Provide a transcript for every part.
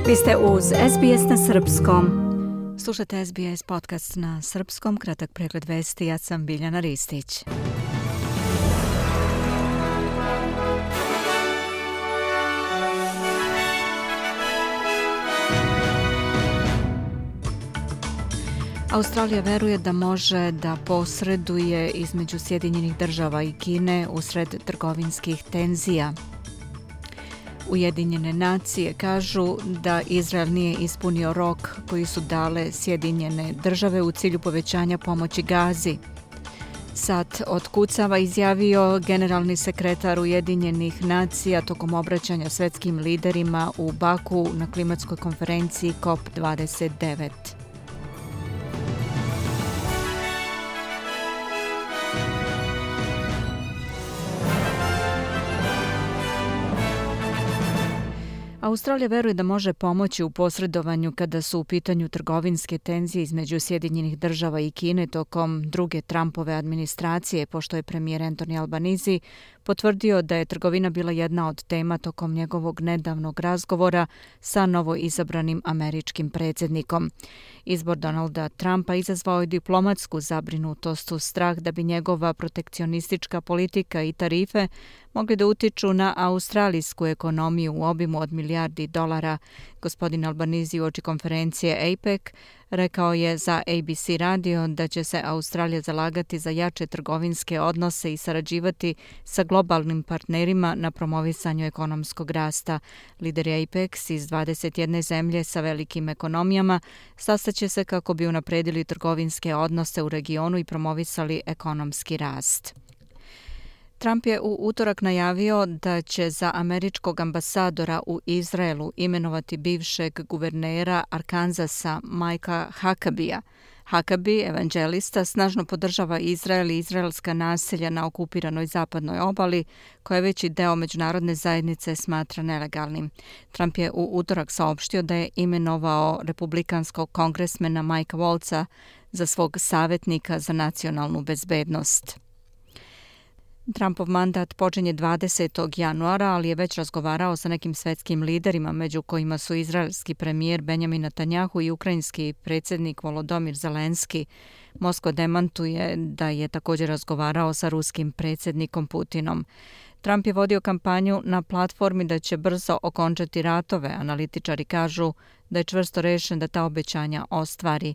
Vi ste uz SBS na srpskom. Slušate SBS podcast na srpskom, kratak pregled vesti, ja sam Biljana Ristić. Australija veruje da može da posreduje između Sjedinjenih država i Kine usred trgovinskih tenzija. Ujedinjene nacije kažu da Izrael nije ispunio rok koji su dale Sjedinjene države u cilju povećanja pomoći Gazi. Sat otkucava, izjavio generalni sekretar Ujedinjenih nacija tokom obraćanja svetskim liderima u Baku na klimatskoj konferenciji COP29. Australija veruje da može pomoći u posredovanju kada su u pitanju trgovinske tenzije između Sjedinjenih država i Kine tokom druge Trumpove administracije, pošto je premijer Anthony Albanese potvrdio da je trgovina bila jedna od tema tokom njegovog nedavnog razgovora sa novoizabranim američkim predsjednikom. Izbor Donalda Trumpa izazvao je diplomatsku zabrinutost uz strah da bi njegova protekcionistička politika i tarife mogli da utiču na australijsku ekonomiju u obimu od milijardi dolara. Gospodin Albanese uoči konferencije APEC rekao je za ABC radio da će se Australija zalagati za jače trgovinske odnose i sarađivati sa globalnim partnerima na promovisanju ekonomskog rasta. Lideri APEC iz 21 zemlje sa velikim ekonomijama sastaće se kako bi unapredili trgovinske odnose u regionu i promovisali ekonomski rast. Trump je u utorak najavio da će za američkog ambasadora u Izraelu imenovati bivšeg guvernera Arkansasa Mikea Huckabea. Huckabee, evanđelista, snažno podržava Izrael i izraelska naselja na okupiranoj zapadnoj obali, koje veći deo međunarodne zajednice smatra nelegalnim. Trump je u utorak saopštio da je imenovao republikanskog kongresmena Mikea Waltza za svog savjetnika za nacionalnu bezbednost. Trumpov mandat počinje 20. januara, ali je već razgovarao sa nekim svetskim liderima, među kojima su izraelski premijer Benjamin Netanjahu i ukrajinski predsjednik Volodymyr Zelenski. Moskva demantuje da je također razgovarao sa ruskim predsjednikom Putinom. Trump je vodio kampanju na platformi da će brzo okončati ratove. Analitičari kažu da je čvrsto rešen da ta obećanja ostvari.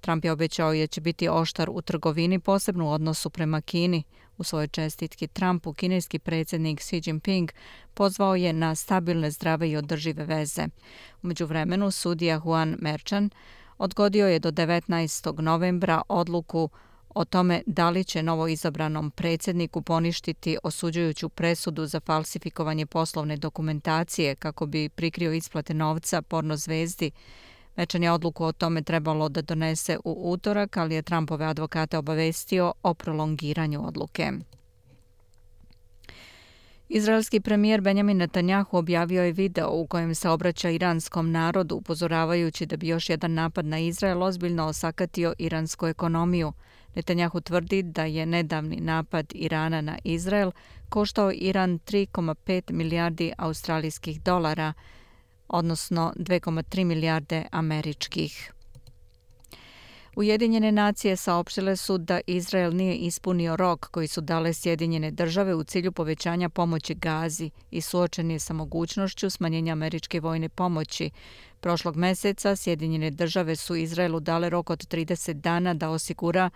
Trump je obećao da će biti oštar u trgovini, posebno u odnosu prema Kini. U svojoj čestitki Trumpu, kineski predsjednik Xi Jinping pozvao je na stabilne, zdrave i održive veze. U međuvremenu, sudija Juan Merchan odgodio je do 19. novembra odluku o tome da li će novoizabranom predsjedniku poništiti osuđujuću presudu za falsifikovanje poslovne dokumentacije kako bi prikrio isplate novca porno zvezdi. Merchan je odluku o tome trebalo da donese u utorak, ali je Trumpove advokate obavestio o prolongiranju odluke. Izraelski premijer Benjamin Netanjahu objavio je video u kojem se obraća iranskom narodu, upozoravajući da bi još jedan napad na Izrael ozbiljno osakatio iransku ekonomiju. Netanjahu tvrdi da je nedavni napad Irana na Izrael koštao Iran 3,5 milijardi australijskih dolara, odnosno 2,3 milijarde američkih. Ujedinjene nacije saopštile su da Izrael nije ispunio rok koji su dale Sjedinjene države u cilju povećanja pomoći Gazi i suočen je sa mogućnošću smanjenja američke vojne pomoći. Prošlog meseca Sjedinjene države su Izraelu dale rok od 30 dana da osigura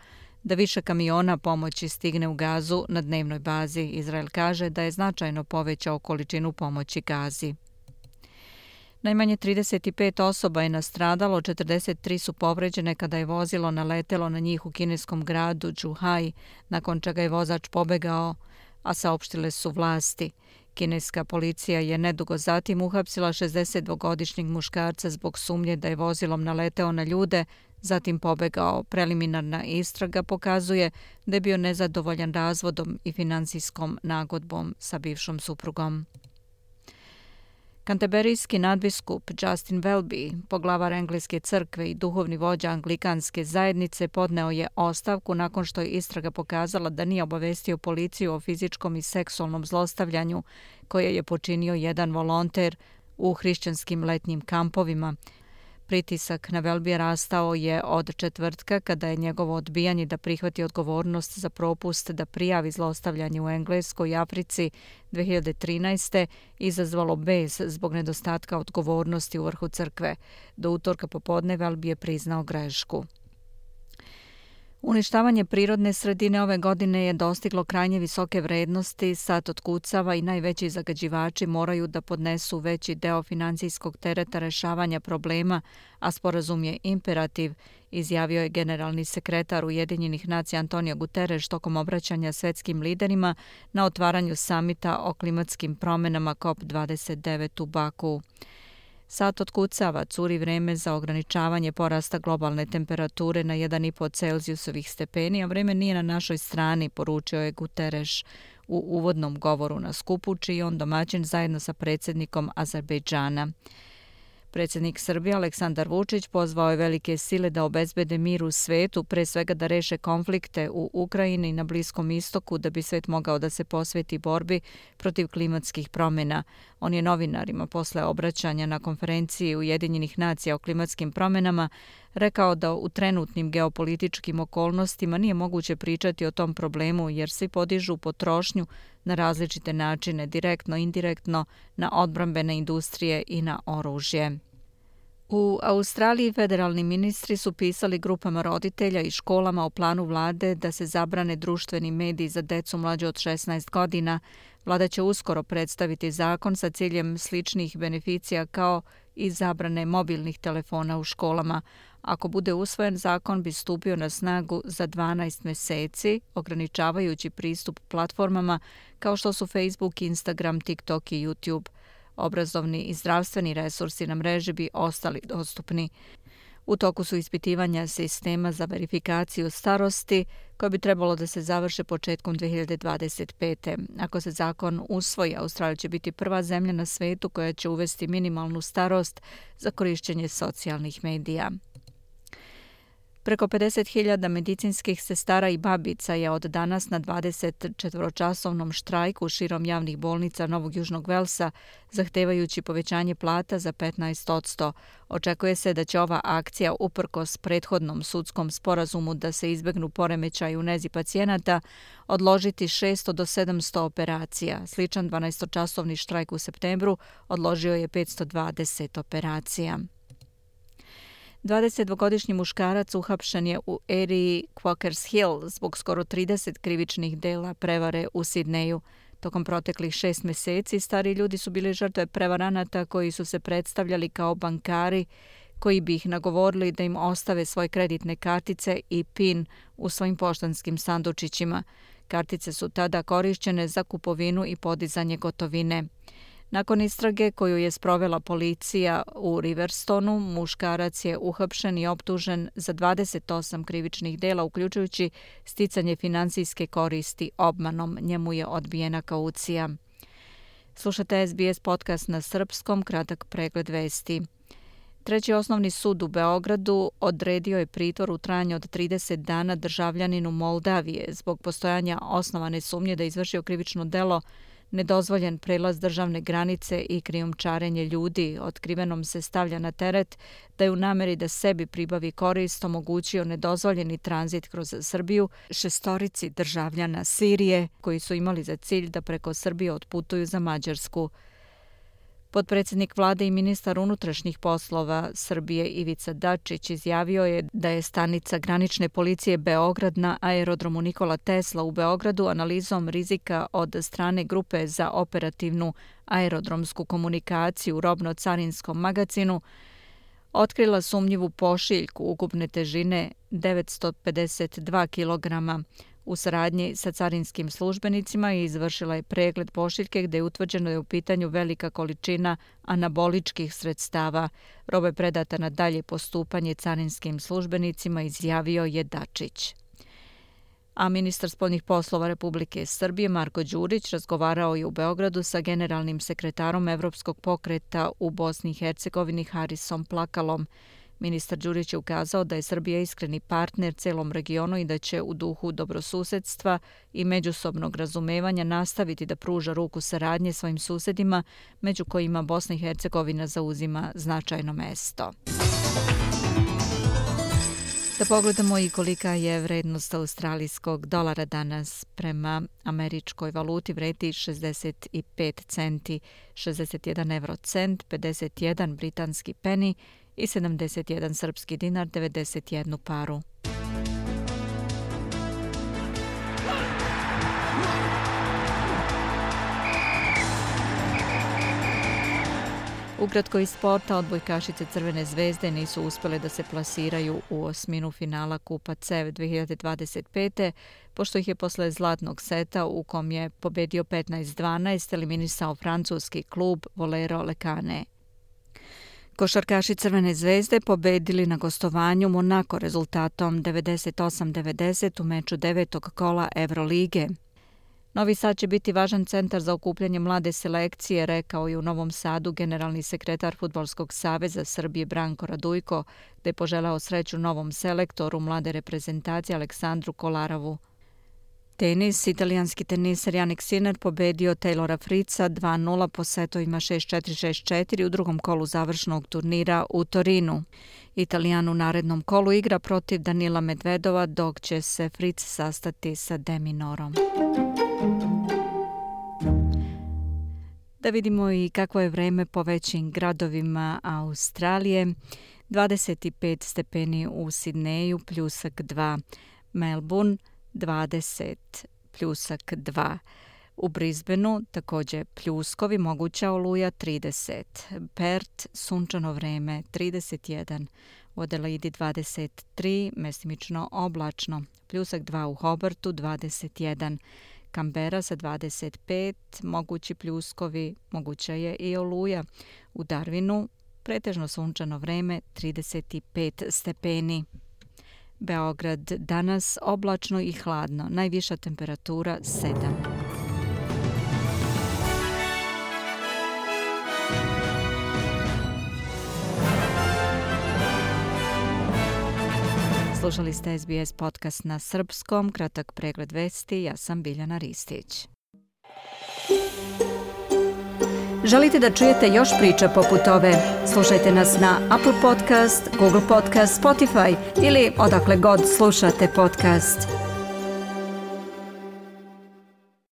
da više kamiona pomoći stigne u Gazu na dnevnoj bazi. Izrael kaže da je značajno povećao količinu pomoći Gazi. Najmanje 35 osoba je nastradalo, 43 su povređene kada je vozilo naletelo na njih u kineskom gradu Zhuhai, nakon čega je vozač pobegao, a saopštile su vlasti. Kineska policija je nedugo zatim uhapsila 62-godišnjeg muškarca zbog sumnje da je vozilom naleteo na ljude, zatim pobegao. Preliminarna istraga pokazuje da je bio nezadovoljan razvodom i finansijskom nagodbom sa bivšom suprugom. Kanteberijski nadbiskup Justin Welby, poglavar Engleske crkve i duhovni vođa Anglikanske zajednice, podneo je ostavku nakon što je istraga pokazala da nije obavestio policiju o fizičkom i seksualnom zlostavljanju koje je počinio jedan volonter u hrišćanskim letnjim kampovima. Pritisak na Welbya rastao je od četvrtka kada je njegovo odbijanje da prihvati odgovornost za propust da prijavi zlostavljanje u Engleskoj i Africi 2013. izazvalo bes zbog nedostatka odgovornosti u vrhu crkve. Do utorka popodne Welby je priznao grešku. Uništavanje prirodne sredine ove godine je dostiglo krajnje visoke vrednosti, sad otkucava i najveći zagađivači moraju da podnesu veći deo financijskog tereta rešavanja problema, a sporazum je imperativ, izjavio je generalni sekretar Ujedinjenih nacija Antonio Guterres tokom obraćanja svetskim liderima na otvaranju samita o klimatskim promenama COP29 u Baku. Sad otkucava, curi vreme za ograničavanje porasta globalne temperature na 1,5 Celzijusovih stepeni, a vreme nije na našoj strani, poručio je Guterres u uvodnom govoru na skupu, čiji on domaćin zajedno sa predsjednikom Azerbejdžana. Predsjednik Srbije Aleksandar Vučić pozvao je velike sile da obezbede mir u svetu, pre svega da reše konflikte u Ukrajini i na Bliskom istoku da bi svet mogao da se posveti borbi protiv klimatskih promjena. On je novinarima posle obraćanja na konferenciji Ujedinjenih nacija o klimatskim promjenama rekao da u trenutnim geopolitičkim okolnostima nije moguće pričati o tom problemu jer svi podižu potrošnju na različite načine, direktno, indirektno, na odbrambene industrije i na oružje. U Australiji federalni ministri su pisali grupama roditelja i školama o planu vlade da se zabrane društveni mediji za decu mlađe od 16 godina. Vlada će uskoro predstaviti zakon sa ciljem sličnih beneficija kao i zabrane mobilnih telefona u školama. Ako bude usvojen, zakon bi stupio na snagu za 12 meseci, ograničavajući pristup platformama kao što su Facebook, Instagram, TikTok i YouTube. Obrazovni i zdravstveni resursi na mreži bi ostali dostupni. U toku su ispitivanja sistema za verifikaciju starosti koje bi trebalo da se završe početkom 2025. Ako se zakon usvoji, Australija će biti prva zemlja na svetu koja će uvesti minimalnu starost za korišćenje socijalnih medija. Preko 50.000 medicinskih sestara i babica je od danas na 24-časovnom štrajku širom javnih bolnica Novog Južnog Velsa, zahtevajući povećanje plata za 15%. Očekuje se da će ova akcija, uprkos prethodnom sudskom sporazumu da se izbegnu poremećaji u nezi pacijenata, odložiti 600 do 700 operacija. Sličan 12-časovni štrajk u septembru odložio je 520 operacija. 22-godišnji muškarac uhapšen je u eriji Quakers Hill zbog skoro 30 krivičnih dela prevare u Sidneju. Tokom proteklih 6 meseci stari ljudi su bili žrtve prevaranata koji su se predstavljali kao bankari koji bi ih nagovorili da im ostave svoje kreditne kartice i PIN u svojim poštanskim sandučićima. Kartice su tada korišćene za kupovinu i podizanje gotovine. Nakon istrage koju je sprovela policija u Riverstonu, muškarac je uhapšen i optužen za 28 krivičnih dela, uključujući sticanje finansijske koristi obmanom. Njemu je odbijena kaucija. Slušate SBS podcast na srpskom, kratak pregled vesti. Treći osnovni sud u Beogradu odredio je pritvor u trajanju od 30 dana državljaninu Moldavije zbog postojanja osnovane sumnje da je izvršio krivično delo nedozvoljen prelaz državne granice i krijumčarenje ljudi. Otkrivenom se stavlja na teret da je u nameri da sebi pribavi korist omogućio nedozvoljeni tranzit kroz Srbiju 6 državljana Sirije koji su imali za cilj da preko Srbije otputuju za Mađarsku. Potpredsjednik vlade i ministar unutrašnjih poslova Srbije Ivica Dačić izjavio je da je stanica granične policije Beograd na aerodromu Nikola Tesla u Beogradu analizom rizika od strane grupe za operativnu aerodromsku komunikaciju u robno-carinskom magazinu otkrila sumnjivu pošiljku ukupne težine 952 kg. U saradnji sa carinskim službenicima i izvršila je pregled pošiljke gde je utvrđeno da je u pitanju velika količina anaboličkih sredstava. Roba je predata na dalje postupanje carinskim službenicima, izjavio je Dačić. A ministar spoljnih poslova Republike Srbije Marko Đurić razgovarao je u Beogradu sa generalnim sekretarom Evropskog pokreta u Bosni i Hercegovini Harisom Plakalom. Ministar Đurić je ukazao da je Srbija iskreni partner celom regionu i da će u duhu dobrosusedstva i međusobnog razumevanja nastaviti da pruža ruku saradnje svojim susedima, među kojima Bosna i Hercegovina zauzima značajno mesto. Da pogledamo i kolika je vrednost australijskog dolara danas. Prema američkoj valuti vredi 65 centi, 61 eurocent, 51 britanski peni i 71 srpski dinar, 91 paru. Ukratko iz sporta, odbojkašice Crvene zvezde nisu uspjele da se plasiraju u osminu finala Kupa CEV 2025. pošto ih je posle zlatnog seta u kom je pobedio 15-12 eliminisao francuski klub Volero Lekane. Košarkaši Crvene zvezde pobedili na gostovanju Monako rezultatom 98-90 u meču 9. kola Evrolige. Novi Sad će biti važan centar za okupljanje mlade selekcije, rekao je u Novom Sadu generalni sekretar Fudbalskog saveza Srbije Branko Radujko, gde je poželao sreću novom selektoru mlade reprezentacije Aleksandru Kolarovu. Tenis, italijanski teniser Jannik Sinner pobedio Taylora Fritza 2-0 po setovima 6-4, 6-4 u drugom kolu završnog turnira u Torinu. Italijan u narednom kolu igra protiv Danila Medvedova, dok će se Fritz sastati sa Deminorom. Da vidimo i kakvo je vreme po većim gradovima Australije. 25 stepeni u Sidneju, pljusak 2. Melbourne 20, pljusak 2. U Brisbaneu također pljuskovi, moguća oluja 30. Perth, sunčano vreme 31. U Adelaidi 23, mestimično oblačno. Pljusak 2 u Hobartu 21. Canberra sa 25, mogući pljuskovi, moguća je i oluja. U Darwinu pretežno sunčano vreme 35 stepeni. Beograd danas oblačno i hladno, najviša temperatura 7. Slušali ste SBS podcast na srpskom, kratak pregled vesti, ja sam Biljana Ristić. Želite da čujete još priča poput ove? Slušajte nas na Apple Podcast, Google Podcast, Spotify ili odakle god slušate podcast.